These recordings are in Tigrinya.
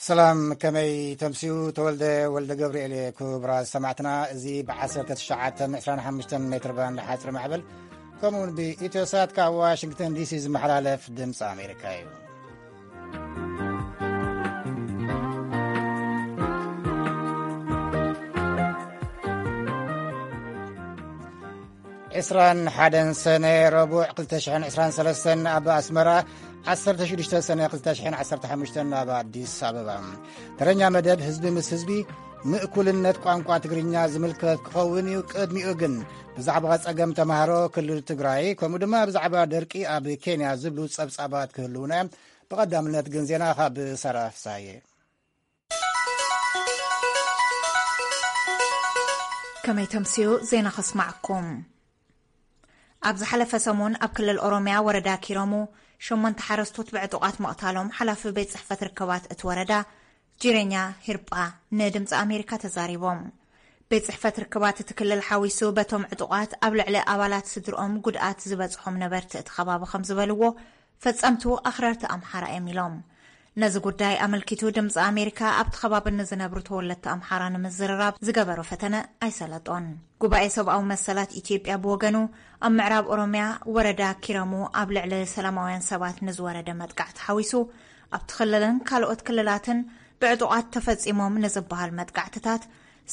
ሰላም፣ ከመይ ተምስዩ? ተወልደ ወልደ ገብርኤል እየ። ክቡራት ሰማዕትና፣ እዚ ብ1925 ሜትር ባንድ ሓፂር ማዕበል፣ ከምኡውን ብኢትዮሳት ካብ ዋሽንግተን ዲሲ ዝመሓላለፍ ድምፂ ኣሜሪካ እዩ። ዕስራን ሓደን ሰነ፣ ረቡዕ፣ ክልተ ሽሕን ዕስራን ሰለስተን ኣብ ኣስመራ፣ ዓሰርተ ሽዱሽተ ሰነ ክልተ ሽሕን ዓሰርተ ሓሙሽተን ኣብ ኣዲስ ኣበባ። ተረኛ መደብ ህዝቢ ምስ ህዝቢ፣ ንእኩልነት ቋንቋ ትግርኛ ዝምልከት ክኸውን እዩ። ቅድሚኡ ግን ብዛዕባ ጸገም ተማሃሮ ክልል ትግራይ፣ ከምኡ ድማ ብዛዕባ ደርቂ ኣብ ኬንያ ዝብሉ ጸብጻባት ክህልዉና እዮም። ብቐዳምነት ግን ዜና ካብ ሳራ ፍሳየ። ከመይ ተምስዩ? ዜና ከስማዕኩም። ኣብ ዝሓለፈ ሰሙን ኣብ ክልል ኦሮምያ ወረዳ ኪረሙ ሸሞንተ ሓረስቶት ብዕጡቓት ምቕታሎም ሓላፊ ቤት ጽሕፈት ርክባት እቲ ወረዳ ጂረኛ ሂርጳ ንድምፂ ኣሜሪካ ተዛሪቦም። ቤት ጽሕፈት ርክባት እቲ ክልል ሓዊሱ በቶም ዕጡቓት ኣብ ልዕሊ ኣባላት ስድርኦም ጉድኣት ዝበጽሖም ነበርቲ እቲ ከባቢ ከም ዝበልዎ፣ ፈጸምቱ ኣኽረርቲ ኣምሓራ እዮም ኢሎም። ነዚ ጉዳይ ኣመልኪቱ ድምፂ ኣሜሪካ ኣብቲ ከባቢ ንዝነብሩ ተወለድቲ ኣምሓራ ንምዝርራብ ዝገበሮ ፈተነ ኣይሰለጦን። ጉባኤ ሰብኣዊ መሰላት ኢትዮጵያ ብወገኑ ኣብ ምዕራብ ኦሮምያ ወረዳ ኪረሙ ኣብ ልዕሊ ሰላማውያን ሰባት ንዝወረደ መጥቃዕቲ ሓዊሱ ኣብቲ ክልልን ካልኦት ክልላትን ብዕጡቓት ተፈጺሞም ንዝበሃል መጥቃዕትታት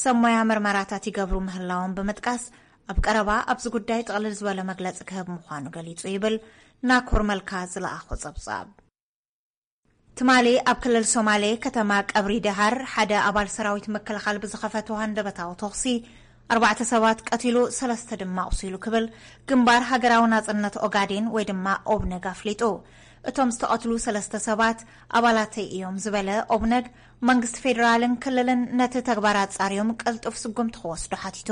ሰብ ሞያ ምርመራታት ይገብሩ ምህላዎም ብምጥቃስ ኣብ ቀረባ ኣብዚ ጉዳይ ጥቕልል ዝበለ መግለጺ ክህብ ምዃኑ ገሊጹ ይብል ናኮር መልካ ዝለኣኾ ጸብጻብ። ትማሊ ኣብ ክልል ሶማሌ ከተማ ቀብሪ ደሃር ሓደ ኣባል ሰራዊት ምክልኻል ብዝኸፈቶ ሃንደበታዊ ተኹሲ ኣርባዕተ ሰባት ቀቲሉ ሰለስተ ድማ ኣቑሲሉ ክብል ግንባር ሃገራዊ ናጽነት ኦጋዴን ወይ ድማ ኦብነግ ኣፍሊጡ። እቶም ዝተቐትሉ ሰለስተ ሰባት ኣባላተይ እዮም ዝበለ ኦብነግ መንግስቲ ፌዴራልን ክልልን ነቲ ተግባር ኣጻርዮም ቅልጡፍ ስጉምቲ ክወስዱ ሓቲቱ።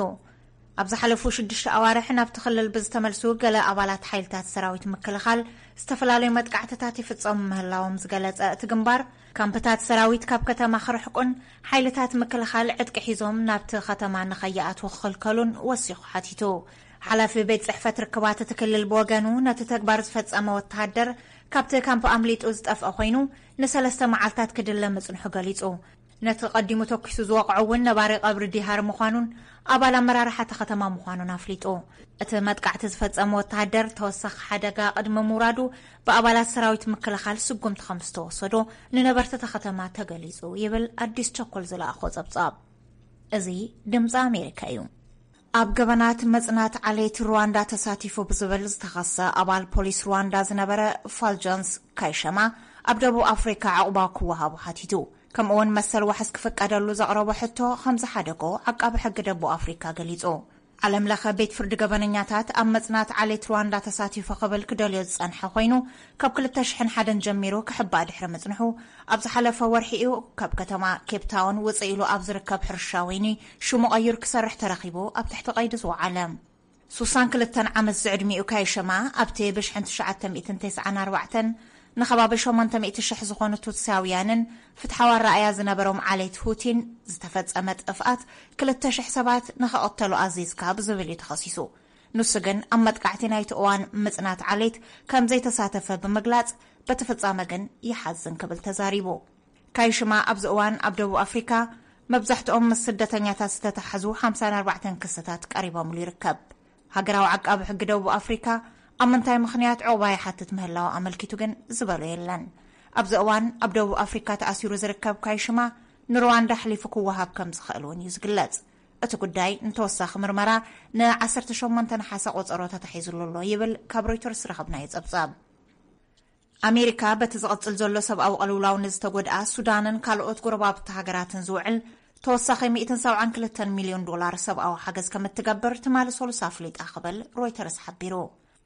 ኣብ ዝሓለፉ ሽዱሽተ ኣዋርሕ ናብቲ ክልል ብዝተመልሱ ገለ ኣባላት ሓይልታት ሰራዊት ምክልኻል ዝተፈላለዩ መጥቃዕትታት ይፍጸሙ ምህላዎም ዝገለጸ እቲ ግንባር፣ ካምፕታት ሰራዊት ካብ ከተማ ክርሕቁን ሓይልታት ምክልኻል ዕጥቂ ሒዞም ናብቲ ከተማ ንኸይኣትዉ ክኽልከሉን ወሲኹ ሓቲቱ። ሓላፊ ቤት ጽሕፈት ርክባት እቲ ክልል ብወገኑ፣ ነቲ ተግባር ዝፈጸመ ወተሃደር ካብቲ ካምፕ ኣምሊጡ ዝጠፍአ ኮይኑ፣ ንሰለስተ መዓልታት ክድለ ምጽንሑ ገሊጹ። ነቲ ቀዲሙ ተኲሱ ዝወቕዖ እውን ነባሪ ቀብሪ ዲሃር ምዃኑን ኣባል ኣመራርሓ እታ ከተማ ምዃኑን ኣፍሊጡ። እቲ መጥቃዕቲ ዝፈጸመ ወተሃደር፣ ተወሳኺ ሓደጋ ቅድሚ ምውራዱ ብኣባላት ሰራዊት ምክልኻል ስጉምቲ ከም ዝተወሰዶ ንነበርቲ እታ ከተማ ተገሊጹ ይብል ኣዲስ ቸኮል ዝለኣኾ ጸብጻብ። እዚ ድምጺ ኣሜሪካ እዩ። ኣብ ገበናት መጽናት ዓሌት ሩዋንዳ ተሳቲፉ ብዝብል ዝተኸሰ ኣባል ፖሊስ ሩዋንዳ ዝነበረ ፋልጃንስ ካይሸማ ኣብ ደቡብ ኣፍሪካ ዕቑባ ክወሃቡ ሓቲቱ። ከምኡውን መሰል ዋሕስ ክፍቀደሉ ዘቕረቦ ሕቶ ከም ዝሓደጎ ዓቃቢ ሕጊ ደቡብ ኣፍሪካ ገሊጹ። ዓለም ለኸ ቤት ፍርዲ ገበነኛታት ኣብ መጽናት ዓሌት ሩዋንዳ ተሳቲፉ ክብል ክደልዮ ዝጸንሐ ኮይኑ፣ ካብ ክልተ ሽሕን ሓደን ጀሚሩ ክሕባእ ድሕሪ ምጽንሑ፣ ኣብ ዝሓለፈ ወርሒ እዩ ካብ ከተማ ኬፕ ታውን ውጽእ ኢሉ ኣብ ዝርከብ ሕርሻ ወይኒ ሽሙ ቀይሩ ክሰርሕ ተረኺቡ ኣብ ትሕቲ ቀይዲ ዝወዓለ። ሱሳን ክልተን ዓመት ዝዕድሚኡ ካይሸማ ኣብቲ ብሽሕን ትሽዓተ ሚእትን ተስዓን ኣርባዕተን ንኸባቢ ሸሞንተ ሚእቲ ሽሕ ዝኾኑ ቱትሳውያንን ፍትሓዊ ኣረኣእያ ዝነበሮም ዓሌት ሁቲን ዝተፈጸመ ጥፍኣት ክልተ ሽሕ ሰባት ንኸቐተሉ ኣዚዝካ ብዝብል እዩ ተኸሲሱ። ንሱ ግን ኣብ መጥቃዕቲ ናይቲ እዋን ምጽናት ዓሌት ከም ዘይተሳተፈ ብምግላጽ፣ በቲ ፍጻመ ግን ይሓዝን ክብል ተዛሪቡ። ካይሽማ ኣብዚ እዋን ኣብ ደቡብ ኣፍሪካ መብዛሕትኦም ምስ ስደተኛታት ዝተተሓዙ ሓምሳን ኣርባዕተን ክስታት ቀሪቦምሉ ይርከብ። ሃገራዊ ዓቃቢ ሕጊ ደቡብ ኣፍሪካ ኣብ ምንታይ ምኽንያት ዕቑባ ይሓትት ምህላው ኣመልኪቱ ግን ዝበሎ የለን። ኣብዚ እዋን ኣብ ደቡብ ኣፍሪካ ተኣሲሩ ዝርከብ ካይሽማ ንሩዋንዳ ኣሕሊፉ ክወሃብ ከም ዝኽእል እውን እዩ ዝግለጽ። እቲ ጉዳይ ንተወሳኺ ምርመራ ን ዓሰርተ ሸሞንተ ነሓሰ ቆጸሮ ተታሒዙሉ ኣሎ ይብል ካብ ሮይተርስ ዝረኸብናዮ ጸብጻብ። ኣሜሪካ በቲ ዝቕጽል ዘሎ ሰብኣዊ ቅልውላው ንዝተጎድኣ ሱዳንን ካልኦት ጎረባብቲ ሃገራትን ዝውዕል ተወሳኺ ሚእትን ሰብዓን ክልተን ሚልዮን ዶላር ሰብኣዊ ሓገዝ ከም እትገብር ትማሊ ሰሉስ ኣፍሊጣ ክብል ሮይተርስ ሓቢሩ።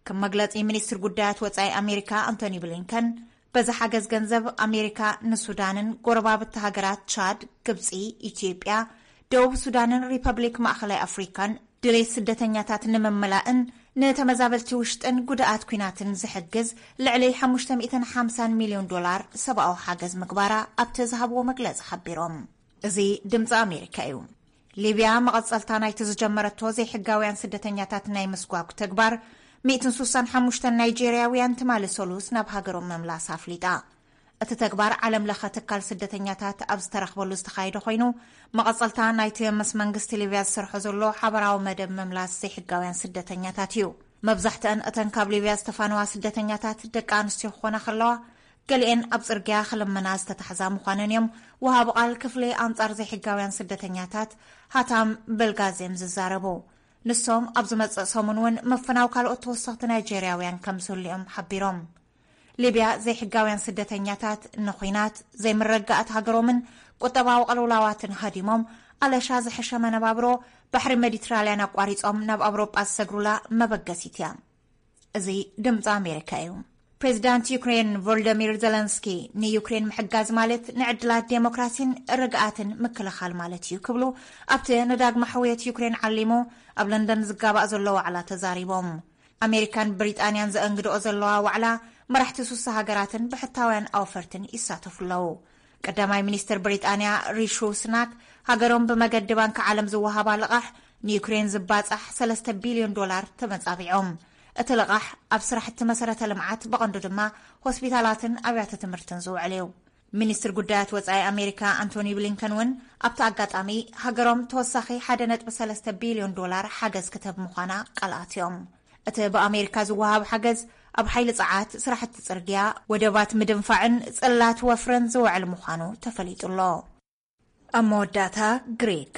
ከም መግለጺ ሚኒስትር ጉዳያት ወጻኢ ኣሜሪካ ኣንቶኒ ብሊንከን፣ በዚ ሓገዝ ገንዘብ ኣሜሪካ ንሱዳንን ጎረባብቲ ሃገራት ቻድ፣ ግብጺ፣ ኢትዮጵያ፣ ደቡብ ሱዳንን ሪፐብሊክ ማእኸላይ ኣፍሪካን ድሌት ስደተኛታት ንምምላእን ንተመዛበልቲ ውሽጥን ጉድኣት ኲናትን ዝሕግዝ ልዕሊ ሓሙሽተ ሚእትን ሓምሳን ሚልዮን ዶላር ሰብኣዊ ሓገዝ ምግባራ ኣብቲ ዝሃብዎ መግለጺ ሓቢሮም። እዚ ድምጺ ኣሜሪካ እዩ። ሊብያ መቐጸልታ ናይቲ ዝጀመረቶ ዘይሕጋውያን ስደተኛታት ናይ ምስጓግ ተግባር፣ ሚእትን ሱሳን ሓሙሽተን ናይጄርያውያን ትማሊ ሰሉስ ናብ ሃገሮም ምምላስ ኣፍሊጣ። እቲ ተግባር ዓለም ለኸ ትካል ስደተኛታት ኣብ ዝተረኽበሉ ዝተኻየደ ኮይኑ፣ መቐጸልታ ናይቲ ምስ መንግስቲ ሊብያ ዝሰርሖ ዘሎ ሓበራዊ መደብ ምምላስ ዘይሕጋውያን ስደተኛታት እዩ። መብዛሕትአን እተን ካብ ሊብያ ዝተፋነዋ ስደተኛታት ደቂ ኣንስትዮ ክኾና ከለዋ፣ ገሊኤን ኣብ ጽርግያ ክልምና ዝተታሕዛ ምዃነን እዮም ወሃቢ ቃል ክፍሊ ኣንጻር ዘይሕጋውያን ስደተኛታት ሃታም በልጋዜም ዝዛረቡ። ንሶም ኣብ ዝመጽእ ሰሙን እውን ምፍናው ካልኦት ተወሰኽቲ ናይጄርያውያን ከም ዝህሉ እዮም ሓቢሮም። ሊብያ ዘይሕጋውያን ስደተኛታት ንኹናት፣ ዘይምረጋኣት ሃገሮምን ቁጠባዊ ቅልውላዋትን ሃዲሞም፣ ኣለሻ ዝሐሸ መነባብሮ ባሕሪ ሜዲትራልያን ኣቋሪጾም ናብ ኣውሮጳ ዝሰግሩላ መበገሲት እያ። እዚ ድምፂ ኣሜሪካ እዩ። ፕሬዚዳንት ዩክሬን ቮሎዶሚር ዘለንስኪ፣ ንዩክሬን ምሕጋዝ ማለት ንዕድላት ዴሞክራሲን ርግኣትን ምክልኻል ማለት እዩ ክብሉ ኣብቲ ንዳግመ ሕውየት ዩክሬን ዓሊሙ ኣብ ለንደን ዝጋባእ ዘሎ ዋዕላ ተዛሪቦም። ኣሜሪካን ብሪጣንያን ዘእንግድኦ ዘለዋ ዋዕላ፣ መራሕቲ ሱሳ ሃገራትን ብሕታውያን ኣውፈርትን ይሳተፉ ኣለዉ። ቀዳማይ ሚኒስትር ብሪጣንያ ሪሹ ስናክ፣ ሃገሮም ብመገዲ ባንኪ ዓለም ዝወሃባ ልቓሕ ንዩክሬን ዝባጻሕ ሰለስተ ቢልዮን ዶላር ተመጻቢዖም። እቲ ልቓሕ ኣብ ስራሕቲ መሰረተ ልምዓት፣ ብቐንዱ ድማ ሆስፒታላትን ኣብያተ ትምህርትን ዝውዕል እዩ። ሚኒስትር ጉዳያት ወጻኢ ኣሜሪካ ኣንቶኒ ብሊንከን እውን ኣብቲ ኣጋጣሚ፣ ሃገሮም ተወሳኺ ሓደ ነጥቢ ሰለስተ ቢልዮን ዶላር ሓገዝ ክትህብ ምዃና ቃል ኣትዮም። እቲ ብኣሜሪካ ዝወሃብ ሓገዝ ኣብ ሓይሊ ጸዓት፣ ስራሕቲ ጽርግያ፣ ወደባት ምድንፋዕን ጽላት ወፍርን ዝውዕል ምዃኑ ተፈሊጡ ኣሎ። ኣብ መወዳእታ፣ ግሪክ።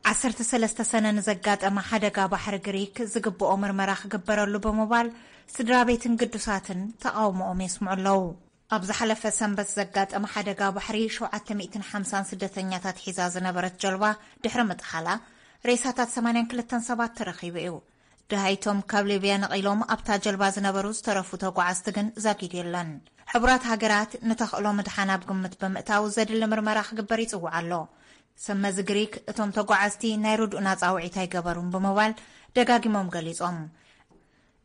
ዓሰርተ ሰለስተ ሰነ ንዘጋጠመ ሓደጋ ባሕሪ ግሪክ ዝግብኦ ምርመራ ክግበረሉ ብምባል ስድራ ቤትን ግዱሳትን ተቓውሞኦም የስምዑ ኣለዉ። ኣብ ዝሓለፈ ሰንበት ዘጋጠመ ሓደጋ ባሕሪ፣ ሸውዓተ ሚእትን ሓምሳን ስደተኛታት ሒዛ ዝነበረት ጀልባ ድሕሪ ምጥሓላ፣ ሬሳታት ሰማንያን ክልተን ሰባት ተረኺቡ እዩ። ደሃይቶም ካብ ሊብያ ነቒሎም ኣብታ ጀልባ ዝነበሩ ዝተረፉ ተጓዓዝቲ ግን ዛጊድ የለን። ሕቡራት ሃገራት ንተኽእሎ ምድሓን ኣብ ግምት ብምእታው ዘድሊ ምርመራ ክግበር ይጽውዕ ኣሎ። ሰብ መዚ ግሪክ እቶም ተጓዓዝቲ ናይ ርድኡና ጻውዒት ኣይገበሩን ብምባል ደጋጊሞም ገሊጾም።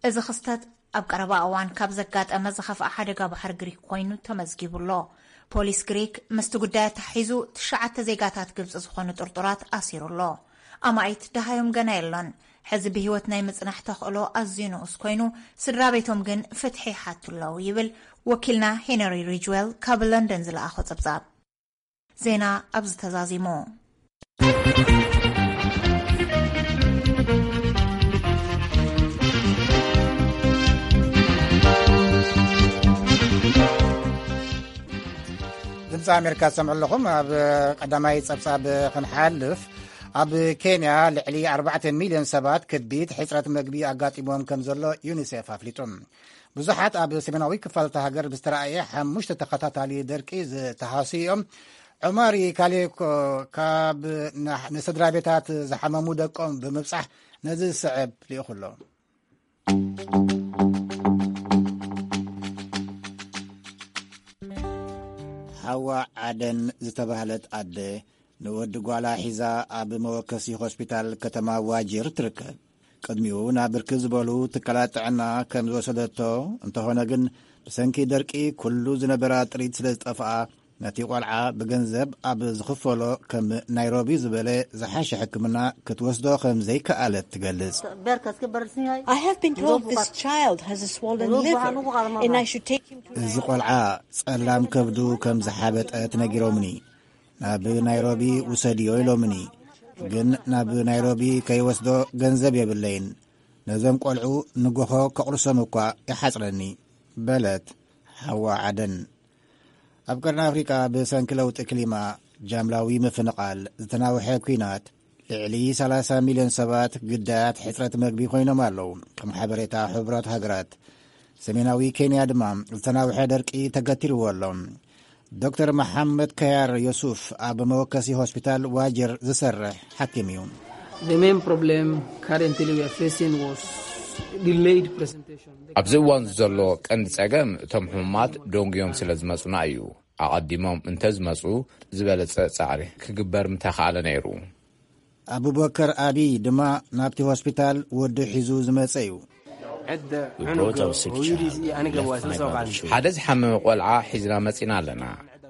እዚ ክስተት ኣብ ቀረባ እዋን ካብ ዘጋጠመ ዝኸፍኣ ሓደጋ ባሕሪ ግሪክ ኮይኑ ተመዝጊቡ ኣሎ። ፖሊስ ግሪክ ምስቲ ጉዳይ ኣተሓሒዙ ትሽዓተ ዜጋታት ግብጺ ዝኾኑ ጥርጡራት ኣሲሩ ኣሎ። ኣማኢት ደሃዮም ገና የሎን። ሕዚ ብህይወት ናይ ምጽናሕ ተኽእሎ ኣዝዩ ንኡስ ኮይኑ፣ ስድራ ቤቶም ግን ፍትሒ ይሓቱ ኣለዉ ይብል ወኪልና ሄነሪ ሪጅዌል ካብ ለንደን ዝለኣኾ ጸብጻብ። ዜና ኣብዚ ተዛዚሙ። ድምፂ ኣሜሪካ ትሰምዑ ኣለኹም። ኣብ ቀዳማይ ጸብጻብ ክንሓልፍ፣ ኣብ ኬንያ ልዕሊ ኣርባዕተ ሚልዮን ሰባት ከቢድ ሕጽረት መግቢ ኣጋጢሞም ከም ዘሎ ዩኒሴፍ ኣፍሊጡ። ብዙሓት ኣብ ሰሜናዊ ክፋል እታ ሃገር ብዝተራእየ ሓሙሽተ ተኸታታሊ ደርቂ ዝተሃስዩ እዮም። ዑማሪ ካሌኮ ካብ ና-፣ ንስድራ ቤታት ዝሓመሙ ደቆም ብምብጻሕ ነዚ ዝስዕብ ልኢኹ ኣሎ። ሓዋ ዓደን ዝተባህለት ኣደ ንወዲ ጓላ ሒዛ ኣብ መወከሲ ሆስፒታል ከተማ ዋጅር ትርከብ። ቅድሚኡ ናብ ብርክት ዝበሉ ትካላት ጥዕና ከም ዝወሰደቶ፣ እንተኾነ ግን ብሰንኪ ደርቂ ኩሉ ዝነበራ ጥሪት ስለ ዝጠፍኣ፣ ነቲ ቆልዓ ብገንዘብ ኣብ ዝኽፈሎ ከም ናይሮቢ ዝበለ ዝሓሸ ሕክምና ክትወስዶ ከም ዘይከኣለት ትገልጽ። I have been told this child has a swollen liver and I should take him to እዚ ቆልዓ ጸላም ከብዱ ከም ዝሓበጠ ተነጊሮምኒ። ናብ ናይሮቢ ውሰድዮ ኢሎምኒ። ግን ናብ ናይሮቢ ከይወስዶ ገንዘብ የብለይን። ነዞም ቆልዑ ንጎሆ ከቑርሶም እኳ ይሓጽረኒ፣ በለት ሓዋ ዓደን። ኣብ ቀርኒ ኣፍሪቃ ብሰንኪ ለውጢ ክሊማ፣ ጃምላዊ ምፍንቓል፣ ዝተናውሐ ኲናት፣ ልዕሊ ሰላሳ ሚልዮን ሰባት ግዳያት ሕጽረት መግቢ ኮይኖም ኣለዉ፣ ከም ሓበሬታ ሕቡራት ሃገራት። ሰሜናዊ ኬንያ ድማ ዝተናውሐ ደርቂ ተገቲርዎ ኣሎ። ዶክተር መሓመድ ከያር ዮሱፍ ኣብ መወከሲ ሆስፒታል ዋጀር ዝሰርሕ ሓኪም እዩ። The main problem currently we are facing was delayed presentation. ኣብዚ እዋን ዘሎ ቀንዲ ጸገም እቶም ሕሙማት ደንጉዮም ስለ ዝመጹና እዩ። ኣቐዲሞም እንተዝመጹ ዝበለጸ ጻዕሪ ክግበር ምተኻእለ ነይሩ። ኣቡበከር ኣቢ ድማ ናብቲ ሆስፒታል ወዱ ሒዙ ዝመጸ እዩ። We brought our sick child and left my brother children. ሓደ ዝሓመመ ቆልዓ ሒዝና መጺና ኣለና።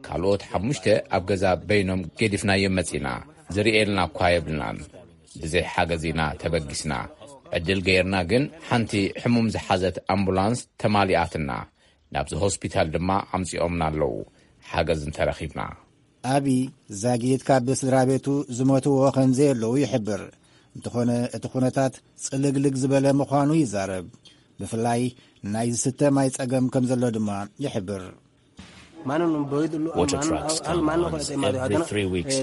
ካልኦት ሓሙሽተ ኣብ ገዛ በይኖም ገዲፍናዮም መጺና። ዝርእየልና እኳ የብልናን። ብዘይ ሓገዝ ኢና ተበጊስና። ዕድል ገይርና ግን ሓንቲ ሕሙም ዝሓዘት ኣምቡላንስ ተማሊኣትና። ናብዚ ሆስፒታል ድማ ኣምጺኦምና ኣለዉ። ሓገዝ እንተረኺብና። ኣቢ ዛጊት ካብ ስድራ ቤቱ ዝሞትዎ ከም ዘየለዉ ይሕብር። እንተኾነ እቲ ኩነታት ጽልግልግ ዝበለ ምዃኑ ይዛረብ። ብፍላይ ናይ ዝስተ ማይ ጸገም ከም ዘሎ ድማ ይሕብር። Water trucks come once every three weeks.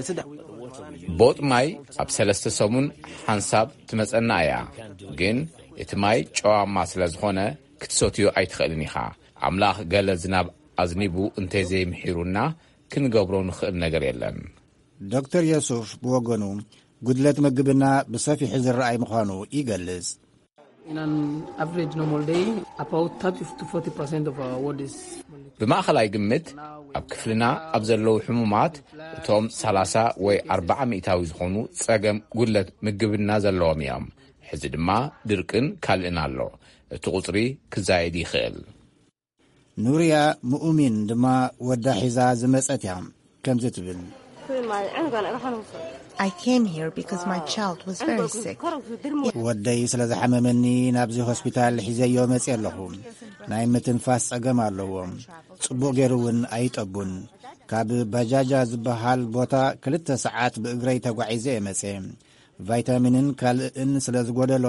ቦጥ ማይ ኣብ ሰለስተ ሰሙን ሓንሳብ ትመጸና እያ። ግን እቲ ማይ ጨዋማ ስለ ዝኾነ ክትሰትዮ ኣይትኽእልን ኢኻ። ኣምላኽ ገለ ዝናብ ኣዝኒቡ እንተዘይምሒሩና ክንገብሮ ንኽእል ነገር የለን። ዶክተር የሱፍ ብወገኑ ጉድለት ምግብና ብሰፊሑ ዝረኣይ ምዃኑ ይገልጽ። In an average normal day, about thirty to forty percent of our ward is ብማእኸላይ ግምት ኣብ ክፍልና ኣብ ዘለዉ ሕሙማት እቶም ሰላሳ ወይ ኣርባዓ ሚእታዊ ዝኾኑ ጸገም ጉድለት ምግብና ዘለዎም እዮም። ሕዚ ድማ ድርቅን ካልእን ኣሎ። እቲ ቁጽሪ ክዛየድ ይኽእል። ኑርያ ምኡሚን ድማ ወዳ ሒዛ ዝመጸት እያ። ከምዚ ትብል። I came here because my child was very sick. ወደይ ስለ ዝሓመመኒ ናብዚ ሆስፒታል ሒዘዮ መጽየ ኣለኹ። ናይ ምትንፋስ ጸገም ኣለዎ። ጽቡቕ ገይሩ እውን ኣይጠቡን። ካብ ባጃጃ ዝበሃል ቦታ ክልተ ሰዓት ብእግረይ ተጓዒዘ እየ መጽየ። ቫይታሚንን ካልእን ስለ ዝጎደሎ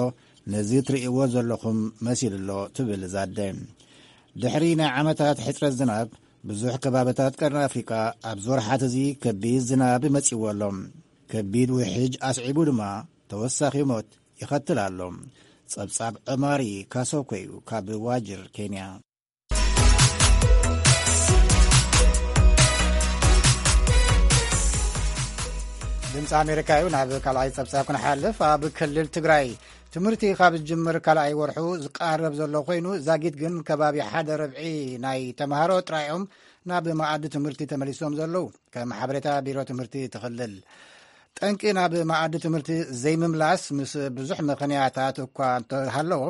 ነዚ ትርእይዎ ዘለኹም መሲሉ ኣሎ ትብል እዛ ኣደ። ድሕሪ ናይ ዓመታት ሕጽረት ዝናብ ብዙሕ ከባብታት ቀርኒ ኣፍሪቃ ኣብዚ ወርሓት እዚ ከቢድ ዝናብ መጺዎ ኣሎ። ከቢድ ውሕጅ ኣስዒቡ ድማ ተወሳኺ ሞት ይኸትል ኣሎ። ጸብጻብ ዑማሪ ካሶኮ እዩ ካብ ዋጅር ኬንያ። ድምፂ ኣሜሪካ እዩ። ናብ ካልኣይ ጸብጻብ ክንሓልፍ፣ ኣብ ክልል ትግራይ ትምህርቲ ካብ ዝጅምር ካልኣይ ወርሑ ዝቃረብ ዘሎ ኮይኑ፣ ዛጊት ግን ከባቢ ሓደ ርብዒ ናይ ተምሃሮ ጥራዮም ናብ መኣዲ ትምህርቲ ተመሊሶም ዘለዉ። ከም ሓበሬታ ቢሮ ትምህርቲ ትኽልል ጠንቂ ናብ መኣዲ ትምህርቲ ዘይምምላስ ምስ ብዙሕ ምኽንያታት እኳ እንተሃለዎ፣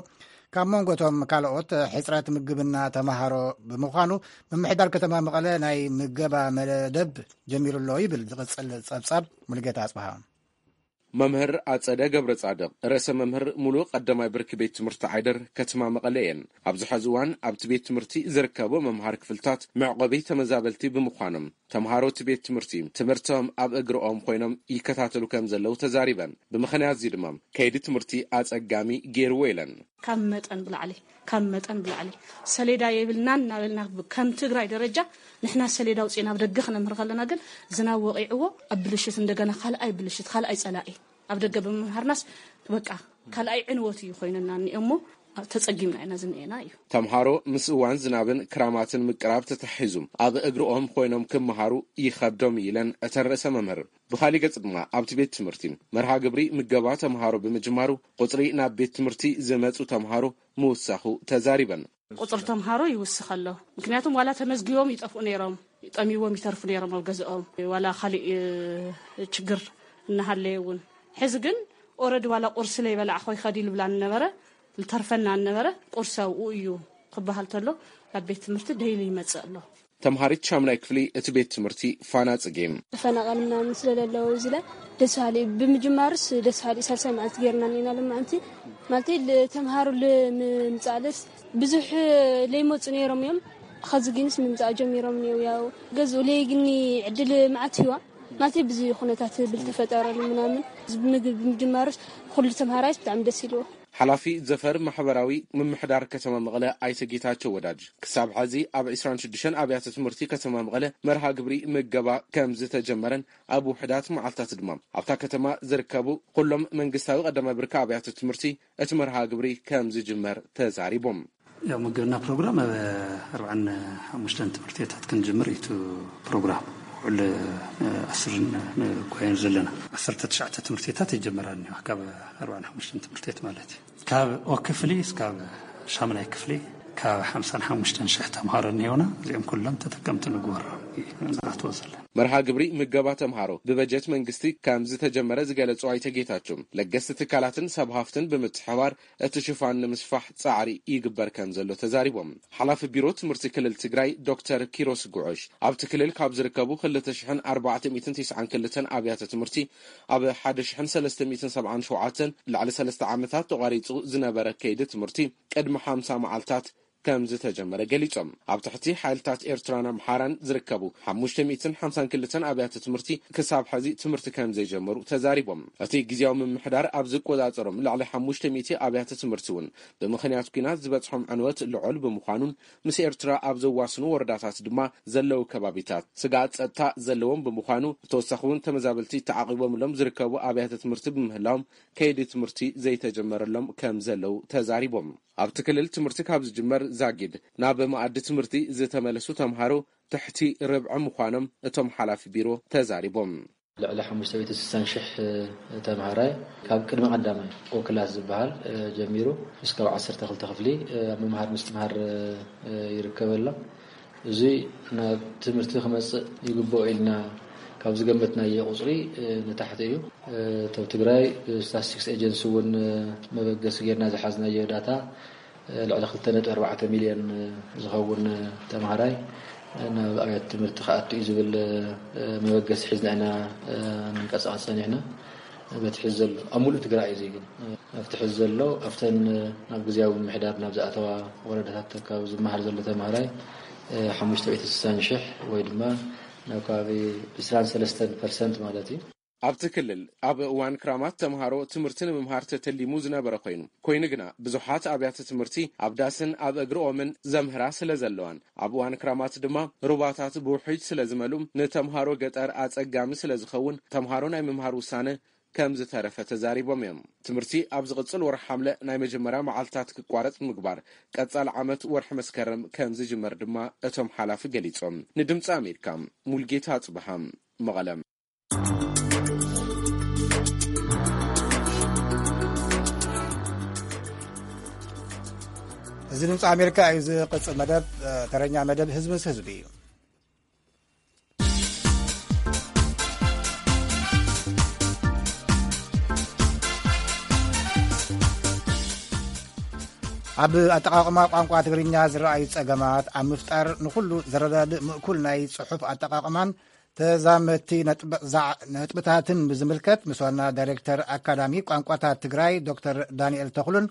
ካብ መንጎቶም ካልኦት ሕፅረት ምግብና ተምሃሮ ብምዃኑ፣ ምምሕዳር ከተማ መቐለ ናይ ምገባ መደብ ጀሚሩ ኣሎ ይብል ዝቕፅል ጸብጻብ ሙሉጌታ ኣጽብሃ። መምህር ኣጸደ ገብረ ጻድቕ፣ ርእሰ መምህር ሙሉእ ቀዳማይ ብርኪ ቤት ትምህርቲ ዓይደር ከተማ መቐለ እየን። ኣብዚ ሐዚ እዋን ኣብቲ ቤት ትምህርቲ ዝርከቡ መምሃር ክፍልታት መዕቆቢ ተመዛበልቲ ብምዃኖም፣ ተምሃሮ እቲ ቤት ትምህርቲ ትምህርቶም ኣብ እግርኦም ኮይኖም ይከታተሉ ከም ዘለዉ ተዛሪበን። ብምኽንያት እዚ ድማ ከይዲ ትምህርቲ ኣጸጋሚ ገይርዎ ኢለን። ካብ መጠን ብላዕሊ ካብ መጠን ብላዕሊ ሰሌዳ የብልናን እናበልና ከም ትግራይ ደረጃ ንሕና ሰሌዳ ኣውፂእና ኣብ ደገ ክነምህር ከለና ግን ዝናብ ወቂዕዎ ኣብ ብልሽት እንደገና ካልኣይ ብልሽት ካልኣይ ፀላኢ ኣብ ደገ ብምምሃርናስ በቃ ካልኣይ ዕንወት እዩ ኮይነና እኒኦ እሞ ተፀጊምና ኢና ዝኒኤና እዩ። ተምሃሮ ምስ እዋን ዝናብን ክራማትን ምቅራብ ተተሓሒዙ ኣብ እግርኦም ኮይኖም ክመሃሩ ይኸብዶም እዩ ኢለን እተን ርእሰ መምህር። ብኻሊእ ገጽ ድማ ኣብቲ ቤት ትምህርቲ መርሃ ግብሪ ምገባ ተምሃሮ ብምጅማሩ ቁጽሪ ናብ ቤት ትምህርቲ ዝመጹ ተምሃሮ ምውሳኹ ተዛሪበን። ቁጽሪ ተምሃሮ ይውስኽ ኣሎ። ምክንያቱም ዋላ ተመዝጊቦም ይጠፍኡ ነይሮም፣ ጠሚዎም ይተርፉ ነይሮም ኣብ ገዝኦም፣ ዋላ ካሊእ ችግር እናሃለየ እውን። ሕዚ ግን ኦረዲ ዋላ ቁርሲ ለይበላዕኹ ይኸድ ይልብላ ነበረ፣ ልተርፈና ነበረ። ቁርሲ ኣብኡ እዩ ክበሃል ተሎ ናብ ቤት ትምህርቲ ደይሊ ይመጽእ ኣሎ። ተምሃሪት ሻምናይ ክፍሊ እቲ ቤት ትምህርቲ ፋና ጽጌ። ተፈናቐል ምናምን ስለለለዉ እዚ ለ ደስ በሃሊ እዩ። ብምጅማርስ ደስ በሃሊ እዩ። ሳልሳይ መዓልቲ ጌርና እኒና ሎማዓንቲ ማለት ተምሃሩ ንምምፃእለስ ብዙሕ ለይመፁ ነይሮም እዮም። ኸዚ ግንስ ምምፃእ ጀሚሮም እኒው ያው ገዝኡ ለይግኒ ዕድል መዓት ህዋ ማለት ብዙ ኩነታት ብልተፈጠረሉ ምናምን ምግቢ ብምጅማርስ ኩሉ ተምሃራይስ ብጣዕሚ ደስ ኢልዎ። ሓላፊ ዘፈር ማሕበራዊ ምምሕዳር ከተማ መቐለ ኣይተ ጌታቸው ወዳጅ፣ ክሳብ ሐዚ ኣብ ዕስራን ሽዱሽተን ኣብያተ ትምህርቲ ከተማ መቐለ መርሃ ግብሪ ምገባ ከም ዝተጀመረን ኣብ ውሕዳት መዓልታት ድማ ኣብታ ከተማ ዝርከቡ ኩሎም መንግስታዊ ቀዳማይ ብርኪ ኣብያተ ትምህርቲ እቲ መርሃ ግብሪ ከም ዝጅመር ተዛሪቦም። ያው ምገና ፕሮግራም ኣብ ኣርባዓን ሓሙሽተን ትምህርትታት ክንጅምር እዩ እቲ ፕሮግራም። ውዕል ኣስርን ንኳየን ዘለና ዓሰርተ ትሽዓተ ትምህርትታት ይጀመራ እኒዋ ካብ ኣርባዓን ሓሙሽተን ትምህርትት ማለት እዩ። ካብ ኦ ክፍሊ እስካብ ሻምናይ ክፍሊ ካብ ሓምሳን ሓሙሽተን ሽሕ ተምሃሮ እኒሆና እዚኦም ኩሎም ተጠቀምቲ ንግበሮ ንኣትዎ ዘለና። መርሃ ግብሪ ምገባ ተምሃሮ ብበጀት መንግስቲ ከም ዝተጀመረ ዝገለጹ ኣይተ ጌታቸው ለገስቲ ትካላትን ሰብ ሃፍትን ብምትሕባር እቲ ሽፋን ንምስፋሕ ጻዕሪ ይግበር ከም ዘሎ ተዛሪቦም። ሓላፊ ቢሮ ትምህርቲ ክልል ትግራይ ዶክተር ኪሮስ ጉዑሽ ኣብቲ ክልል ካብ ዝርከቡ ክልተ ሽሕን ኣርባዕተ ሚእትን ተስዓን ክልተን ኣብያተ ትምህርቲ ኣብ ሓደ ሽሕን ሰለስተ ሚእትን ሰብዓን ሸውዓተን ልዕሊ ሰለስተ ዓመታት ተቋሪጹ ዝነበረ ከይዲ ትምህርቲ ቅድሚ ሓምሳ መዓልታት ከም ዝተጀመረ ገሊጾም። ኣብ ትሕቲ ሓይልታት ኤርትራን ኣምሓራን ዝርከቡ ሓሙሽተ ሚእትን ሓምሳን ክልተን ኣብያተ ትምህርቲ ክሳብ ሕዚ ትምህርቲ ከም ዘይጀመሩ ተዛሪቦም። እቲ ግዜያዊ ምምሕዳር ኣብ ዝቆጻጸሮም ልዕሊ ሓሙሽተ ሚእቲ ኣብያተ ትምህርቲ እውን ብምኽንያት ኲናት ዝበጽሖም ዕንወት ልዑል ብምዃኑን ምስ ኤርትራ ኣብ ዘዋስኑ ወረዳታት ድማ ዘለዉ ከባቢታት ስግኣት ጸጥታ ዘለዎም ብምዃኑ፣ ብተወሳኺ እውን ተመዛበልቲ ተዓቒቦምሎም ዝርከቡ ኣብያተ ትምህርቲ ብምህላዎም ከይዲ ትምህርቲ ዘይተጀመረሎም ከም ዘለዉ ተዛሪቦም። ኣብቲ ክልል ትምህርቲ ካብ ዝጅመር ዛጊድ ናብ መኣዲ ትምህርቲ ዝተመለሱ ተምሃሮ ትሕቲ ርብዒ ምዃኖም እቶም ሓላፊ ቢሮ ተዛሪቦም። ልዕሊ ሓሙሽተ ሚእቲ ስሳን ሽሕ ተምሃራይ ካብ ቅድመ ቀዳማይ ኦ ክላስ ዝበሃል ጀሚሩ እስካብ ዓሰርተ ክልተ ክፍሊ ኣብ ምምሃር ምስትምሃር ይርከብ ኣሎ። እዚ ናብ ትምህርቲ ክመጽእ ይግብኦ ኢልና ካብ ዝገመትናዮ ቁጽሪ ንታሕቲ እዩ። እቶም ትግራይ ብስታስቲክስ ኤጀንሲ እውን መበገሲ ጌርና ዝሓዝናዮ ዳታ ልዕሊ ክልተ ነጥቢ ኣርባዕተ ሚልዮን ዝኸውን ተምሃራይ ናብ ኣብያተ ትምህርቲ ክኣቱ እዩ ዝብል መበገሲ ሒዝና ኢና ንንቀሳቐስ ጸኒሕና። በቲ ሕዚ ዘሎ ኣብ ሙሉእ ትግራይ እዩ፣ ግን ኣብቲ ሕዚ ዘሎ ኣብተን ናብ ግዜያዊ ምምሕዳር ናብ ዝኣተዋ ወረዳታት ካብ ዝመሃር ዘሎ ተምሃራይ ሓሙሽተ ሚእቲ ስሳን ሽሕ ወይ ድማ ናብ ከባቢ ዕስራን ሰለስተን ፐርሰንት ማለት እዩ። ኣብቲ ክልል ኣብ እዋን ክራማት ተምሃሮ ትምህርቲ ንምምሃር ተተሊሙ ዝነበረ ኮይኑ፣ ኮይኑ ግና ብዙሓት ኣብያተ ትምህርቲ ኣብ ዳስን ኣብ እግሪ ኦምን ዘምህራ ስለ ዘለዋን፣ ኣብ እዋን ክራማት ድማ ሩባታት ብውሕጅ ስለ ዝመልኡ፣ ንተምሃሮ ገጠር ኣጸጋሚ ስለ ዝኸውን፣ ተምሃሮ ናይ ምምሃር ውሳነ ከም ዝተረፈ ተዛሪቦም እዮም። ትምህርቲ ኣብ ዝቕጽል ወርሒ ሓምለ ናይ መጀመርያ መዓልታት ክቋረጽ ምግባር፣ ቀጻሊ ዓመት ወርሒ መስከረም ከም ዝጅመር ድማ እቶም ሓላፊ ገሊጾም። ንድምጺ ኣሜሪካ ሙልጌታ ኣጽብሃ፣ መቐለ። እዚ ድምፂ ኣሜሪካ እዩ። ዝቕፅል መደብ፣ እ፣ ተረኛ መደብ ህዝቢ ምስ ህዝቢ እዩ። ኣብ ኣጠቓቕማ ቋንቋ ትግርኛ ዝረኣዩ ጸገማት ኣብ ምፍጣር ንኹሉ ዘረዳድእ ምእኩል ናይ ጽሑፍ ኣጠቓቕማን ተዛመድቲ ነጥብ-፣ ዛ-፣ ነጥብታትን ብዝምልከት ምስ ዋና ዳይሬክተር ኣካዳሚ ቋንቋታት ትግራይ ዶክተር ዳንኤል ተኽሉን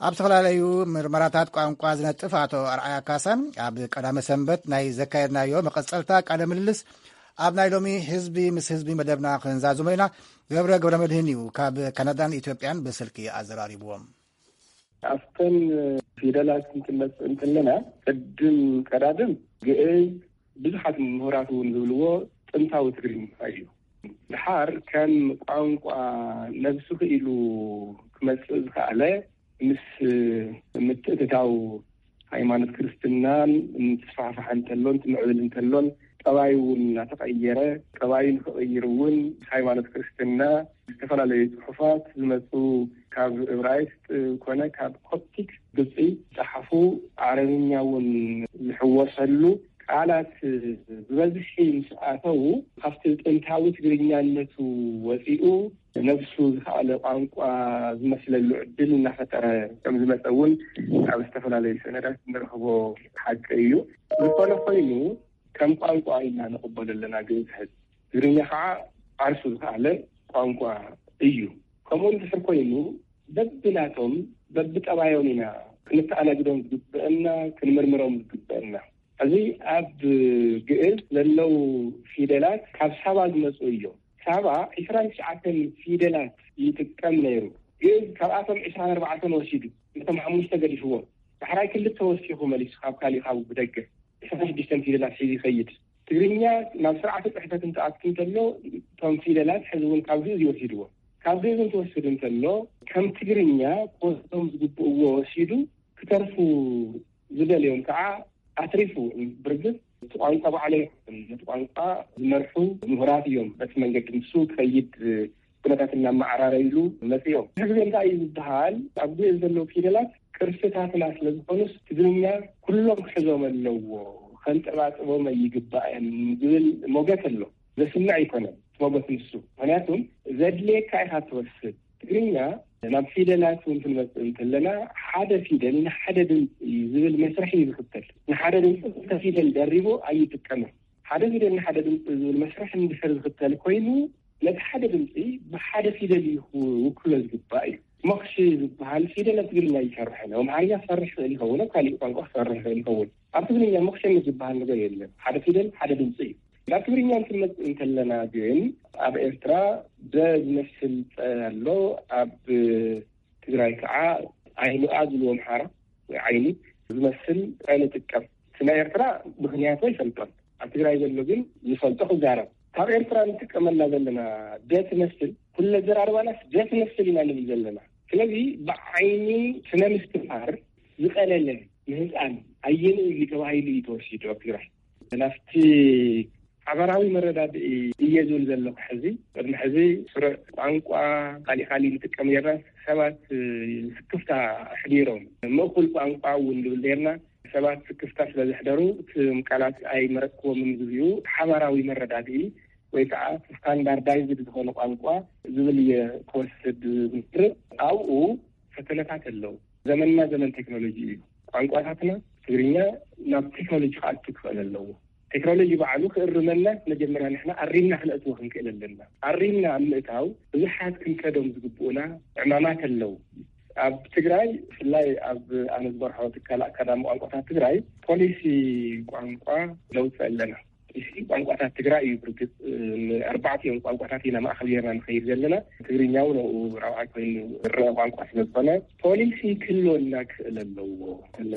ኣብ ዝተፈላለዩ ምርመራታት ቋንቋ ዝነጥፍ ኣቶ ኣርኣያ ካሳን ኣብ ቀዳመ ሰንበት ናይ ዘካየድናዮ መቐጸልታ ቃለ ምልልስ ኣብ ናይ ሎሚ ህዝቢ ምስ ህዝቢ መደብና ክንዛዝሞ ኢና። ገብረ ገብረ መድህን እዩ ካብ ካናዳን ኢትዮጵያን ብስልኪ ኣዘራሪብዎም። ኣብተን ፊደላት እንትንመጽእ እንተለና፣ ቅድም ቀዳድም ግእዝ ብዙሓት ምሁራት እውን ዝብልዎ ጥንታዊ ትግርኛ እዩ። ድሓር ከም ቋንቋ ነብሱ ክኢሉ ክመጽእ ዝኸኣለ ምስ ምትእትታው ሃይማኖት ክርስትናን እንትስፋሕፋሕ እንተሎን ትምዕብል እንተሎን፣ ጠባዩ እውን እናተቐየረ፣ ጠባዩ ንክቕይር እውን ሃይማኖት ክርስትና ዝተፈላለዩ ጽሑፋት ዝመጹ ካብ እብራይስጥ ኮነ ካብ ኮፕቲክ ግብጺ ዝጸሓፉ ዓረብኛ እውን ዝሕወሰሉ ቃላት ብበዝሒ ምስ ኣተዉ፣ ካብቲ ጥንታዊ ትግርኛነቱ ወጺኡ ነብሱ ዝኸኣለ ቋንቋ ዝመስለሉ ዕድል እናፈጠረ ከም ዝመጸ እውን ኣብ ዝተፈላለዩ ሰነዳት እንረኽቦ ሓቂ እዩ። ዝኾነ ኮይኑ ከም ቋንቋ ኢና ንቕበሎ ኣለና ግእዝ ሕዚ። ትግርኛ ከዓ ዓርሱ ዝኸኣለ ቋንቋ እዩ። ከምኡ እንድሕር ኮይኑ በብናቶም በብጠባዮም ኢና ክንተኣናግዶም ዝግበአና፣ ክንምርምሮም ዝግበአና። እዚ ኣብ ግእዝ ዘለዉ ፊደላት ካብ ሳባ ዝመጹ እዮም። ሳባ ዕስራን ትሽዓተን ፊደላት ይጥቀም ነይሩ። ግእዝ ካብኣቶም ዕስራን ኣርባዕተን ወሲዱ፣ ነቶም ሓሙሽተ ገዲፍዎም። ዳሕራይ ክልተ ወሲኹ መሊሱ ካብ ካሊእ ካብ ብደገ ዕስራን ሽዱሽተን ፊደላት ሒዙ ይኸይድ። ትግርኛ ናብ ስርዓተ ጽሕፈት እንትኣቱ እንተሎ፣ እቶም ፊደላት ሕዚ እውን ካብ ግእዝ ይወሲድዎ። ካብ ግእዝ እንትወስድ እንተሎ፣ ከም ትግርኛ ክወስዶም ዝግብእዎ ወሲዱ፣ ክተርፉ ዝደልዮም ከዓ ኣትሪፉ። ብርግጽ እቲ ቋንቋ ባዕሉ ኣይኮነን፣ ነቲ ቋንቋ ዝመርሑ ምሁራት እዮም። በቲ መንገዲ ንሱ ክኸይድ ኩነታት እናመዓራረይሉ መጺኦም። ብዙሕ ግዜ እንታይ እዩ ዝበሃል፣ ኣብ ግእዝ ዘለዉ ፊደላት ቅርስታትና ስለ ዝኾኑስ ትግርኛ ኩሎም ክሕዞም ኣለዎ፣ ከንጠባጥቦም ኣይግባእን ዝብል ሞገት ኣሎ። ዘስምዕ ኣይኮነን እቲ ሞገት ንሱ። ምኽንያቱም ዘድልየካ ኢኻ ትወስድ። ትግርኛ ናብ ፊደላት እውን ክንመጽእ እንተለና፣ ሓደ ፊደል ንሓደ ድምፂ ዝብል መስርሕ እዩ ዝኽተል። ንሓደ ድምፂ ክልተ ፊደል ደሪቡ ኣይጥቀምን። ሓደ ፊደል ንሓደ ድምፂ ዝብል መስርሕ እንድሕር ዝኽተል ኮይኑ፣ እቲ ሓደ ድምፂ ብሓደ ፊደል እዩ ክውክሎ ዝግባእ እዩ። ሞኽሺ ዝበሃል ፊደል ኣብ ትግርኛ ይሰርሕ፣ ኣብ ኣምሓርኛ ክሰርሕ ይኽእል ይኸውን፣ ኣብ ካሊእ ቋንቋ ክሰርሕ ይኽእል ይኸውን። ኣብ ትግርኛ ሞኽሸ ዝበሃል ነገር የለን። ሓደ ፊደል ሓደ ድምፂ እዩ። ናብ ትግርኛ እንትንመፅእ እንተለና ግን ኣብ ኤርትራ ደ ዝመስል ፀ ኣሎ፣ ኣብ ትግራይ ከዓ ዓይኑ ኣ ዝብልዎ ኣምሓራ ወይ ዓይኒ ዝመስል ፀ ንጥቀም። እቲ ናይ ኤርትራ ምኽንያቱ ኣይፈልጦን። ኣብ ትግራይ ዘሎ ግን ዝፈልጦ ክዛረብ። ካብ ኤርትራ ንጥቀመላ ዘለና ደ ትመስል፣ ኩለ ዘራርባናስ ደ ትመስል ኢና ንብል ዘለና። ስለዚ ብዓይኒ ስነ ምስትምሃር ዝቐለለ ንህፃን ኣየንኡ እዩ ተባሂሉ እዩ ተወሲዱ ኣብ ትግራይ። ናብቲ ሓበራዊ መረዳድኢ እየ ዝብል ዘለኹ። ሕዚ ቅድሚ ሕዚ ስሩዕ ቋንቋ ካሊእ ካሊእ ንጥቀም ጌርና ሰባት ስክፍታ ኣሕዲሮም፣ ምእኩል ቋንቋ እውን ንብል ኔርና። ሰባት ስክፍታ ስለ ዘሕደሩ እቶም ቃላት ኣይመረጽክዎምን ዝብሉ ሓባራዊ መረዳድኢ ወይ ከዓ ስታንዳርዳይዝድ ዝኾነ ቋንቋ ዝብል እየ ክወስድ ዝምርጥ። ኣብኡ ፈተነታት ኣለዉ። ዘመንና ዘመን ቴክኖሎጂ እዩ። ቋንቋታትና ትግርኛ ናብ ቴክኖሎጂ ክኣቱ ክኽእል ኣለዎ። ቴክኖሎጂ ባዕሉ ክእርመና መጀመርያ ንሕና ኣሪምና ክነእትዎ ክንክእል ኣለና። ኣሪምና ኣብ ምእታው ብዙሓት ክንከዶም ዝግብኡና ዕማማት ኣለዉ። ኣብ ትግራይ ብፍላይ ኣብ ኣነ ዝመርሖ ትካል ኣካዳሚ ቋንቋታት ትግራይ ፖሊሲ ቋንቋ ነውፅእ ኣለና። ፖሊሲ ቋንቋታት ትግራይ እዩ። ብርግፅ ንኣርባዕቲኦም ቋንቋታት ኢና ማእኸል ጌርና ንኸይድ ዘለና። ትግርኛ እውን ኣብኡ ራብዓይ ኮይኑ ዝረአ ቋንቋ ስለ ዝኾነ ፖሊሲ ክህልወና ክኽእል ኣለዎ።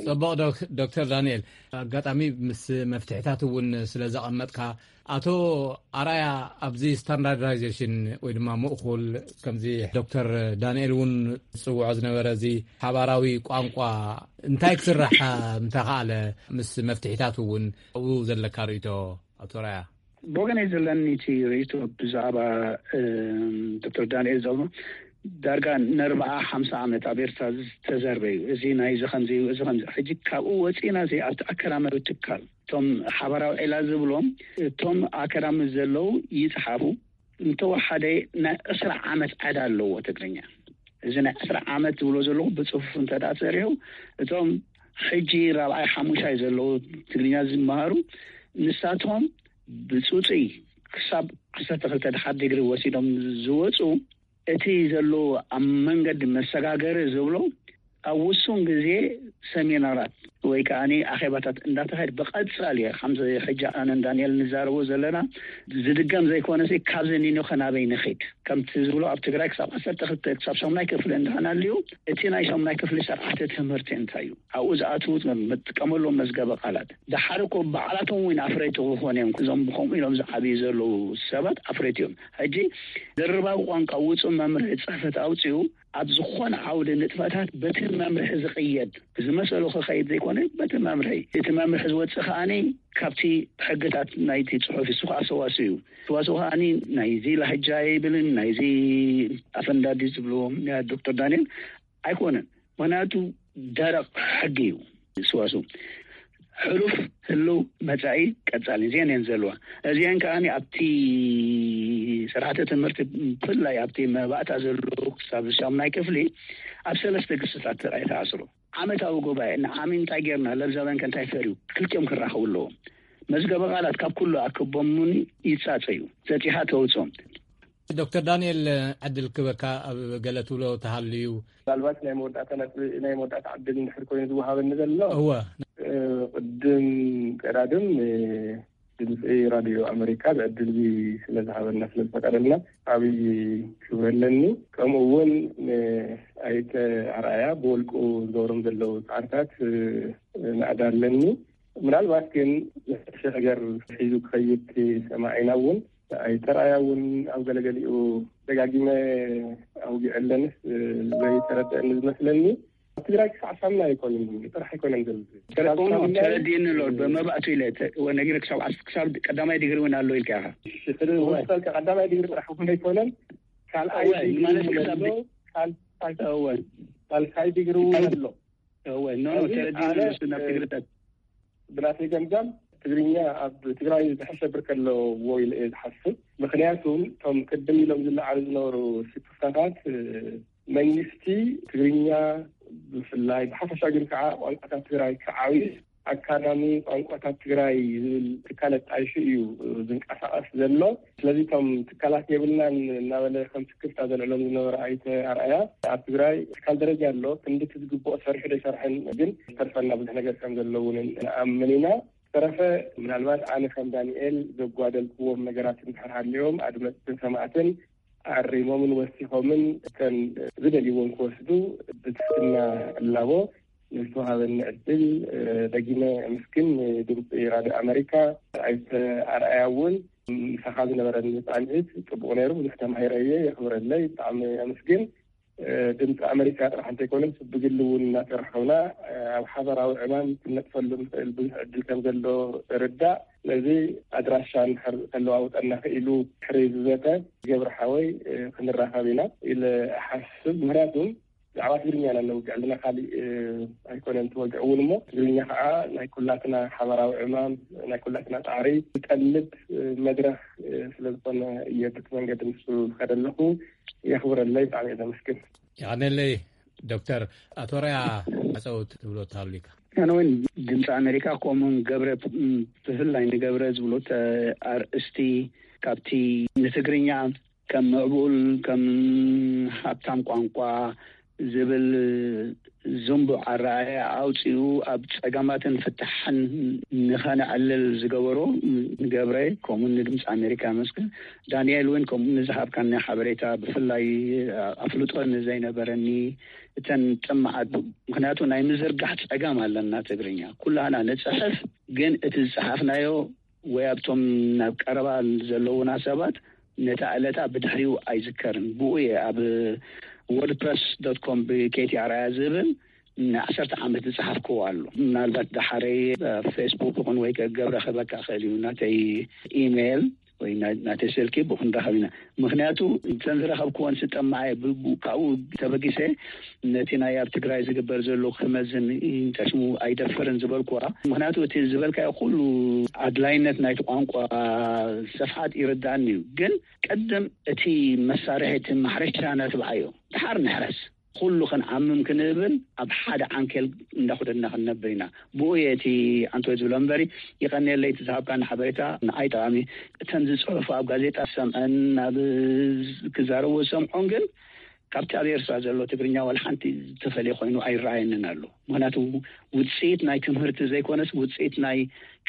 ፅቡቕ ዶክ- ዶክተር ዳንኤል፣ ኣጋጣሚ ምስ መፍትሕታት እውን ስለ ዘቐመጥካ፣ ኣቶ ኣራያ፣ ኣብዚ ስታንዳርዳይዜሽን ወይ ድማ ምእኹል ከምዚ ዶክተር ዳንኤል እውን ዝፅውዖ ዝነበረ እዚ ሓባራዊ ቋንቋ እንታይ ክስራሕ ምተኻእለ፣ ምስ መፍትሒታት እውን ኣብኡ ዘለካ ርእይቶ ኣቶ ኣራያ? ብወገነይ ዘለኒ እቲ ርእይቶ ብዛዕባ ዶክተር ዳንኤል ዘብሎ ዳርጋ ንኣርባዓ ሓምሳ ዓመት ኣብ ኤርትራ ዝተዘርበ እዩ። እዚ ናይዚ ከምዚ እዩ፣ እዚ ከምዚ። ሕጂ ካብኡ ወፂና እዚ ኣብቲ ኣካዳሚያዊ ትካል እቶም ሓባራዊ ዒላ ዝብሎም እቶም ኣካዳሚ ዘለዉ ይፅሓፉ። እንተወሓደ ናይ ዕስራ ዓመት ዕዳ ኣለዎ ትግርኛ። እዚ ናይ ዕስራ ዓመት ዝብሎ ዘለኹ ብፅፉፍ እንተ ደኣ ተሰሪሑ እቶም ሕጂ ራብዓይ ሓሙሻይ ዘለዉ ትግርኛ ዝመሃሩ ንሳቶም ብፁፁይ ክሳብ ዓሰርተ ክልተ ድሓር ዲግሪ ወሲዶም ዝወፁ እቲ ዘሎ ኣብ መንገዲ መሰጋገሪ ዝብሎ ኣብ ውሱን ግዜ ሰሚናራት ወይ ከዓ ኣኼባታት እንዳተኻየደ ብቐፃሊ ከም ሕጂ ኣነን ዳንኤል ንዛረቦ ዘለና ዝድገም ዘይኮነ ካብዚ ኒኖ ከናበይ ንኽድ ከምቲ ዝብሎ ኣብ ትግራይ ክሳብ ዓሰርተ ክልተ ክሳብ ሻሙናይ ክፍሊ እንዳሃና ኣልዩ እቲ ናይ ሻሙናይ ክፍሊ ስርዓተ ትምህርቲ እንታይ እዩ ኣብኡ ዝኣትዉ መጥቀመሎም መዝገበ ቃላት ድሓር እኮ ባዕላቶም እውን ኣፍረይቲ ክኾኑ እዮም። እዞም ብከምኡ ኢሎም ዝዓብዩ ዘለዉ ሰባት ኣፍረይቲ እዮም። ሕጂ ድርባዊ ቋንቋ ውፁእ መምርሒ ፅሕፈት ኣውፅኡ ኣብ ዝኾነ ዓውዲ ንጥፈታት በቲ መምርሒ ዝቕየድ ዝመሰሉ ክኸይድ ዘይኮነ በቲ መምርሒ እቲ መምርሒ ዝወፅእ ከዓኒ ካብቲ ሕግታት ናይቲ ፅሑፍ ይስኹ ኣሰዋሱ እዩ። ሰዋሱ ከዓኒ ናይዚ ላህጃ ይብልን ናይዚ ኣፈንዳዲ ዝብልዎ ዶክተር ዳንኤል ኣይኮነን። ምክንያቱ ደረቕ ሕጊ እዩ። ስዋሱ ሕሉፍ ህልው መፃኢ ቀፃሊ እዚአን እየን ዘለዋ። እዚአን ከዓ ኣብቲ ስርዓተ ትምህርቲ ብፍላይ ኣብቲ መባእታ ዘለዉ ክሳብ ሻሙናይ ክፍሊ ኣብ ሰለስተ ግስታት ጥራይ ተኣስሩ። ዓመታዊ ጉባኤ ንዓሚ እንታይ ጌርና ለብዛውያን ከ እንታይ ፈርዩ ክልቲኦም ክራኸቡ ኣለዎም። መዝገበ ቃላት ካብ ኩሉ ኣክቦም እውን ይፃፀዩ። ዘፂኻ ተውፅኦም። ዶክተር ዳንኤል ዕድል ክበካ ኣብ ገለ ትብሎ ተሃልዩ። ምናልባት ናይ መወዳእታ ነጥቢ ናይ መወዳእታ ዕድል እንድሕር ኮይኑ ዝወሃበኒ ዘሎ እወ ቅድም ቀዳድም ድምፂ ራድዮ ኣመሪካ ብዕድል እዚ ስለ ዝሃበና ስለ ዝፈቀደልና ዓብይ ክብሪ ኣለኒ። ከምኡ እውን ንኣይተ ኣርኣያ ብወልቁ ዝገብሮም ዘለዉ ፃዕርታት ናእዳ ኣለኒ። ምናልባት ግን ዘሕሸ ነገር ሒዙ ክኸይድ ሰማዒና እውን ኣይተ ኣርኣያ እውን ኣብ ገለገሊኡ ደጋጊመ ኣውጊዐለንስ ዘይተረደአኒ ዝመስለኒ ኣብ ትግራይ ክሳዕ ሳምና ኣይኮንን ጥራሕ ኣይኮነን ዘሎ ተረዲእኒ ኣሎ ብመባእቱ ኢለ ነጊረ ክሳብ ዓስ ክሳብ ቀዳማይ ዲግሪ እውን ኣሎ ኢልካ ኢኻ። ቀዳማይ ዲግሪ ጥራሕ እውን ኣይኮነን ካልኣይ ዲግሪ እውን ኣሎ። ካልኣይ ዲግሪ እውን ኣሎ። ተረዲእኒ ኣሎ ናብ ትግርታት ብናተይ ገምጋም ትግርኛ ኣብ ትግራይ ዝሐሸ ብርከ ኣለዎ ኢለ እየ ዝሓስብ። ምክንያቱ እቶም ቅድም ኢሎም ዝለዓሉ ዝነበሩ ስክፍታታት መንግስቲ ትግርኛ ብፍላይ ብሓፈሻ ግን ከዓ ቋንቋታት ትግራይ ክዓብዩ ኣካዳሚ ቋንቋታት ትግራይ ዝብል ትካል ኣጣይሹ እዩ ዝንቀሳቐስ ዘሎ። ስለዚ እቶም ትካላት የብልናን እናበለ ከም ስክፍታ ዘልዕሎም ዝነበረ ኣይተ ኣርኣያ፣ ኣብ ትግራይ ትካል ደረጃ ኣሎ፣ ክንድቲ ዝግብኦ ሰሪሑ ዶ ኣይሰርሐን ግን ዝተርፈና ብዙሕ ነገር ከም ዘሎ እውን ንኣምን ኢና። ዝተረፈ ምናልባት ኣነ ከም ዳንኤል ዘጓደልክዎም ነገራት እንድሕር ሃልዮም ኣድመፅትን ሰማዕትን ኣሪሞምን ወሲኾምን እተን ዝደልይዎን ክወስዱ ብትሕትና እላቦ። ንዝተዋሃበኒ ዕድል ደጊመ ኣመስግን። ድምፂ ራድዮ ኣመሪካ ኣይተ ኣርኣያ እውን ምሳኻ ዝነበረኒ ፃንሒት ፅቡቕ ነይሩ። ብዙሕ ተማሂረ እየ። የኽብረለይ። ብጣዕሚ ኣመስግን። ድምፂ ኣመሪካ ጥራሕ እንተይኮነስ ብግሊ እውን እናተራኸብና ኣብ ሓበራዊ ዕማም ክንነጥፈሉ ንኽእል ብዙሕ ዕድል ከም ዘሎ ርዳእ። ስለዚ ኣድራሻ እንድሕር ተለዋውጠና ክኢሉ ድሕሪ ዝዘተ ገብረ ሓወይ ክንራኸብ ኢና ኢለ እሓስብ። ምክንያቱም ብዛዕባ ትግርኛ ኢና እነውግዕ ኣለና፣ ካሊእ ኣይኮነን ትወግዕ እውን እሞ ትግርኛ ከዓ ናይ ኩላትና ሓበራዊ ዕማም ናይ ኩላትና ፃዕሪ ዝጠልብ መድረክ ስለዝኾነ እየ በቲ መንገዲ ንሱ ዝኸደ ኣለኹ። የኽብረለይ። ብጣዕሚ እየ ዘመስግን። የቐነለይ። ዶክተር ኣቶ ራያ፣ ኣፀው ትብሎ ተሃሉካ? ኣነ እውን ድምፂ ኣሜሪካ ከምኡውን ገብረ፣ ብፍላይ ንገብረ ዝብሎ ኣርእስቲ ካብቲ ንትግርኛ ከም ምዕቡል ከም ሃብታም ቋንቋ ዝብል ዝንቡዕ ኣረኣእያ ኣውፂኡ ኣብ ፀገማትን ፍታሕን ንኸነዕልል ዝገበሮ ንገብረ ከምኡ ንድምፂ ኣሜሪካ መስግን። ዳንኤል እውን ከምኡ ንዝሃብካኒ ሓበሬታ ብፍላይ ኣፍልጦ ንዘይነበረኒ እተን ጥማዓት፣ ምክንያቱ ናይ ምዝርጋሕ ፀገም ኣለና ትግርኛ ኩላና ንፅሕፍ ግን እቲ ዝፀሓፍናዮ ወይ ኣብቶም ናብ ቀረባ ዘለውና ሰባት ነታ ዕለታ ብድሕሪኡ ኣይዝከርን። ብኡ እየ ኣብ ወርድፕረስ ዶት ኮም ብኬቲ ኣርኣያ ዝብል ንዓሰርተ ዓመት ዝፀሓፍክዎ ኣሎ። ምናልባት ዳሓረይ ፌስቡክ ይኹን ወይ ገብረ ክህበካ ክእል እዩ ናተይ ኢሜይል ወይ ናተይ ስልኪ ብኡ ክንራኸብ ኢና። ምክንያቱ እተን ዝረኸብክወን ስጠማዐ ካብኡ ተበጊሰ ነቲ ናይ ኣብ ትግራይ ዝግበር ዘሎ ክመዝን ጠሽሙ ኣይደፍርን ዝበልኩዋ። ምክንያቱ እቲ ዝበልካዮ ኩሉ ኣድላይነት ናይቲ ቋንቋ ሰፍሓት ይርዳእኒ እዩ። ግን ቅድም እቲ መሳርሒ እቲ ማሕረሻ ነትብዓዮ ድሓር ንሕረስ ኩሉ ክንዓምም ክንብል ኣብ ሓደ ዓንኬል እንዳኹደድና ክንነብር ኢና። ብኡ እየ እቲ ኣንቶይ ዝብሎ እምበሪ ይቐንየለይ እቲ ዝሃብካኒ ሓበሬታ ንዓይ ጠቓሚ። እተን ዝፅሑፉ ኣብ ጋዜጣ ዝሰምዐን ኣብ ክዛረቡ ዝሰምዖን ግን ካብቲ ኣብ ኤርትራ ዘሎ ትግርኛ ዋላ ሓንቲ ዝተፈለየ ኮይኑ ኣይረኣየንን ኣሎ። ምክንያቱ ውፅኢት ናይ ትምህርቲ ዘይኮነስ ውፅኢት ናይ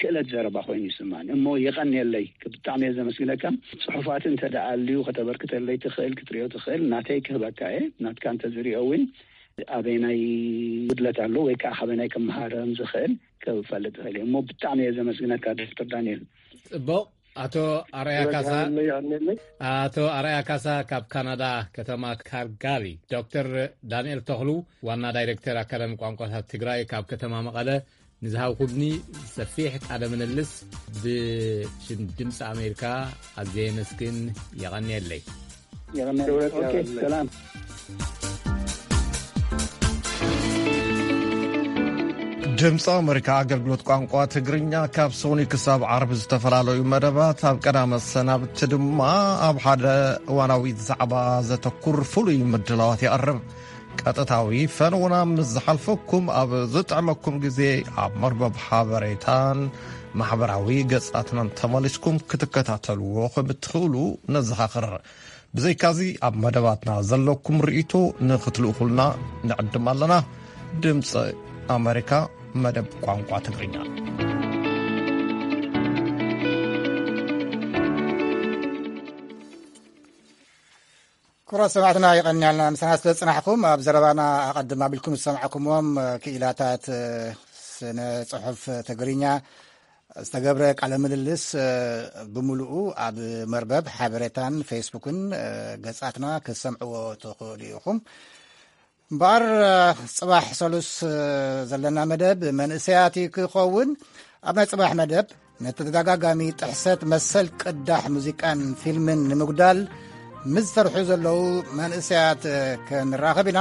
ክእለት ዘረባ ኮይኑ ይስማኒ እሞ የቐንየለይ። ብጣዕሚ እየ ዘመስግነካ። ፅሑፋት እንተ ደኣ ኣልዩ ከተበርክተለይ ትኽእል ክትሪኦ ትኽእል ናተይ ክህበካ እየ። ናትካ እንተ ዝሪኦ እውን ኣበይናይ ጉድለት ኣሎ ወይ ከዓ ካበይናይ ክመሃረም ዝኽእል ክፈልጥ ይኽእል እየ እሞ ብጣዕሚ እየ ዘመስግነካ ዶክተር ዳንኤል። ፅቡቕ። ኣቶ ኣርኣያ ካሳ። ኣቶ ኣርኣያ ካሳ ካብ ካናዳ ከተማ ካልጋሪ። ዶክተር ዳንኤል ተኽሉ ዋና ዳይሬክተር ኣካዳሚ ቋንቋታት ትግራይ ካብ ከተማ መቐለ ንዝሃብኩምኒ ሰፊሕ ቃለ ምልልስ ብሽም ድምፂ ኣሜሪካ ኣዝየ የመስግን። የቐንየለይ። የቐንየለይ። ኦኬ፣ ሰላም። ድምፂ ኣሜሪካ ኣገልግሎት ቋንቋ ትግርኛ ካብ ሶኒ ክሳብ ዓርቢ ዝተፈላለዩ መደባት፣ ኣብ ቀዳመ ሰናብቲ ድማ ኣብ ሓደ እዋናዊ ዛዕባ ዘተኩር ፍሉይ ምድላዋት የቕርብ። ቀጥታዊ ፈነውና ምስ ዝሓልፈኩም ኣብ ዝጥዕመኩም ግዜ ኣብ መርበብ ሓበሬታን ማሕበራዊ ገጻትናን ተመሊስኩም ክትከታተልዎ ከም እትኽእሉ ነዘኻኽር። ብዘይካዚ ኣብ መደባትና ዘለኩም ርእይቶ ንኽትልእኹልና ንዕድም ኣለና። ድምፂ ኣሜሪካ መደብ ቋንቋ ትግርኛ። ክቡራት ሰማዕትና የቐንያልና ምሳና ስለ ዝጽናሕኩም። ኣብ ዘረባና ኣቐድም ኣቢልኩም ዝሰማዕኩምዎም ክኢላታት ስነ ጽሑፍ ትግርኛ ዝተገብረ ቃለ ምልልስ ብምሉኡ ኣብ መርበብ ሓበሬታን ፌስቡክን ገጻትና ክትሰምዕዎ ትኽእሉ ኢኹም። እምበኣር ጽባሕ ሰሉስ ዘለና መደብ መንእሰያት ክኸውን። ኣብ ናይ ጽባሕ መደብ ንተደጋጋሚ ጥሕሰት መሰል ቅዳሕ ሙዚቃን ፊልምን ንምጉዳል ምስ ዝሰርሑ ዘለዉ መንእሰያት ክንራኸብ ኢና።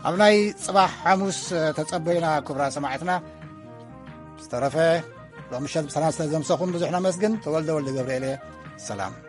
ኣብ ናይ ጽባሕ ሓሙስ ተጸበዩና ክቡራት ሰማዕትና። ዝተረፈ ሎም ምሸት ብሰላም ስለ ዘምሰኹም ብዙሕ ነመስግን። ተወልደ ወልደ ገብርኤል እየ። ሰላም።